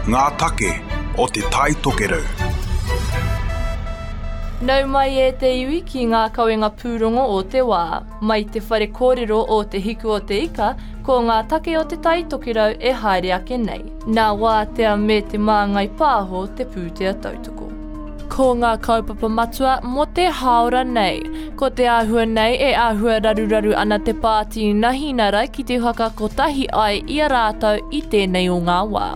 Ngā take o Te Tai Tokerau. Nau mai e te iwi ki ngā kawenga pūrongo o te wā. Mai te whare kōrero o Te Hiku o Te Ika, ko ngā take o Te Tai Tokerau e haere ake nei. Nā Wātea me Te Māngai Pāho te pūtea tautoko. Ko ngā kaupapa matua mō te hāora nei. Ko te āhua nei e āhua raruraru ana te pāti Nahinara ki te whakakotahi ai i a rātou i tēnei o ngā wā.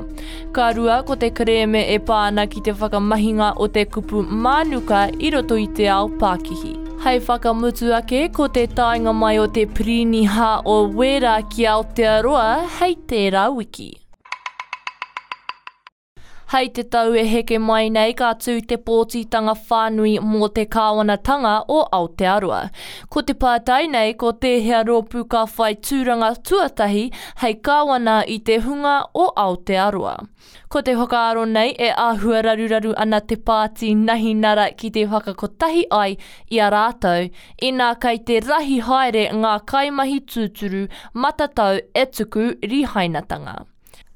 Ka rua ko te kerēme e pā ana ki te whakamahinga o te kupu mānuka i roto i te ao pākihi. Hei whakamutu ake ko te taenga mai o te Piriniha o Wēra ki Aotearoa hei tērā wiki. Hei te tau e heke mai nei ka tū te pōtitanga whānui mō te kāwanatanga o Aotearoa. Ko te pātai nei ko tēhea rōpū ka whai tūranga tuatahi hei kāwana i te hunga o Aotearoa. Ko te whakaaro nei e āhua raruraru ana te pāti Nahinara ki te whakakotahi ai i a rātou, inā kei te rahi haere ngā kaimahi tūturu matatau e tuku rihainatanga.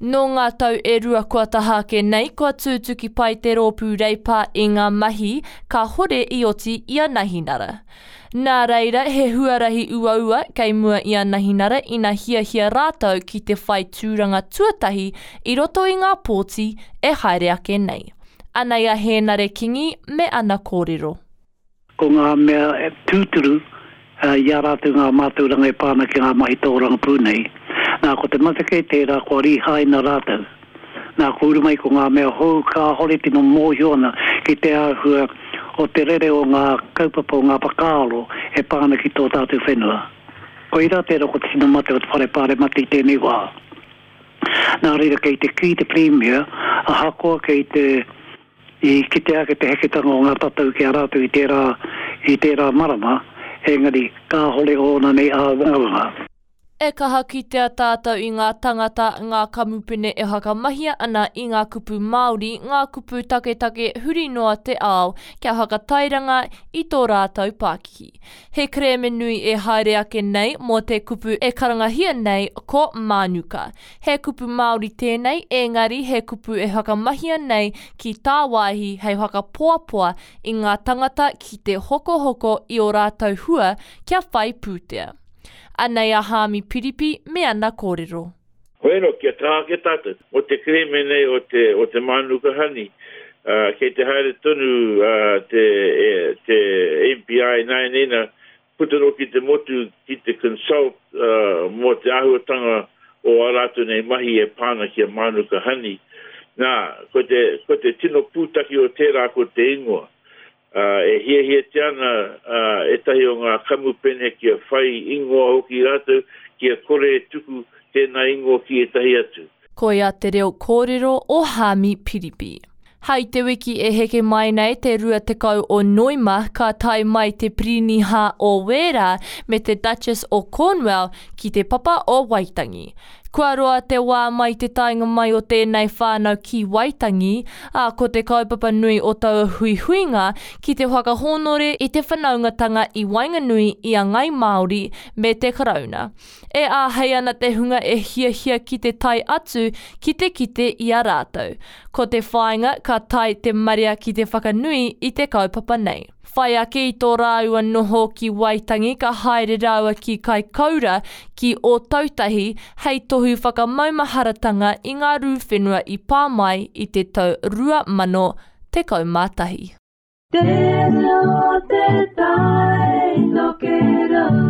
Nō ngā tau e rua kua taha ake nei kua tūtuki pai te rōpū Reipa i ngā mahi kāhore i oti i a Nahinara. Nā reira he huarahi uaua kei mua i a Nahinara ina hiahia rātou ki te whai tūranga tuatahi i roto i ngā pōti e haere ake nei. Anei a Hēnare Kingi me ana kōrero. Ko ngā mea tūturu i a rātou ngā mātauranga e pā ana ki ngā mahi tōrangapū nei. Nā, ko te mate kē tērā kua rīhaina rātou. Nā, kua uru mai ko ngā mea hou kāhore tino mōhio ana ki te āhua o te rere o ngā kaupapa o ngā whakaaro e pā ana ki tō tātou whenua. Koirā tērā ko te tino mate o te Whare Pāremata i tēnei wā. Nā reira kei te kī te Pirimia, ahakoa kei te I kitea ake te heketanga o ngā tatau ki a rātou i tērā, i tērā marama, engari kāhore ōna nei āwangawanga. E kaha kitea tātou i ngā tangata, ngā kamupene e whakamahia ana i ngā kupu Māori, ngā kupu taketake huri noa te ao kia whakatairanga i tō rātou pākihi. He kerēme nui e haere ake nei mō te kupu e karangahia nei ko mānuka. He kupu Māori tēnei, ēngari he kupu e whakamahia nei ki tāwāhi hei whakapoapoa i ngā tangata ki te hokohoko i ō rātou hua kia whai pūtea. Anei a Haami Piripi me ana kōrero. Hoi anō, kia kaha ake tātou. Mō te kerēme nei o te, o te Mānuka Honey, ā, kei te haere tonu ā, te, e, te MPI ināianei nā, puta noa ki te motu ki te consult mō te āhuatanga o ā rātou nei mahi e pā ana ki a Mānuka Honey. Nā, ko te, ko te tino pūtake o tērā ko te ingoa. E hiahiatia ana ētahi o ngā kamupene kia whai ingoa hoki rātou, kia kore e tuku tēnā ingoa ki ētahi atu. Koia te reo kōrero o Haami Piripi. Hai te wiki e heke mai nei te 20 o Noema ka tae mai te Piriniha o Wēra me te Duchess o Cornwell ki te Papa o Waitangi. Kua roa te wā mai te taenga mai o tēnei whānau ki Waitangi, ā, ko te kaupapa nui o taua huihuinga ki te whakahōnore i te whanaungatanga i waenganui i a Ngai Māori me te Karauna. E āhei ana te hunga e hiahia ki te tae atu ki te kite i a rātou. Ko te whāinga ka tae te marea ki te whakanui i te kaupapa nei. Whai ake i tō rāua noho ki Waitangi ka haere rāua ki Kaikoura ki Ōtautahi hei tohu whakamaumaharatanga i ngā rū whenua i pā mai i te tau 2011. Te reo te tai tokerau.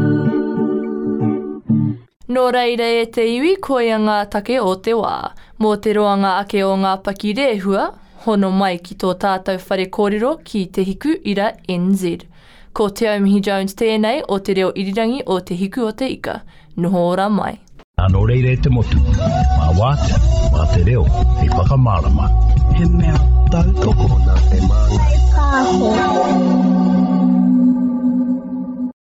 Nō reira e te iwi koia ngā take o te wā. Mō te roanga ake o ngā pakirehua, hono mai ki tō tātou whare kōrero ki Te Hiku Ira NZ. Ko Te Aumihi Jones tēnei o Te Reo Irirangi o Te Hiku o Te Ika. Noho ora mai. Nā nō reira e te motu, mā wātea, mā te reo, hei whakamārama. He mea tautoko. Nā te māngai. Pāho.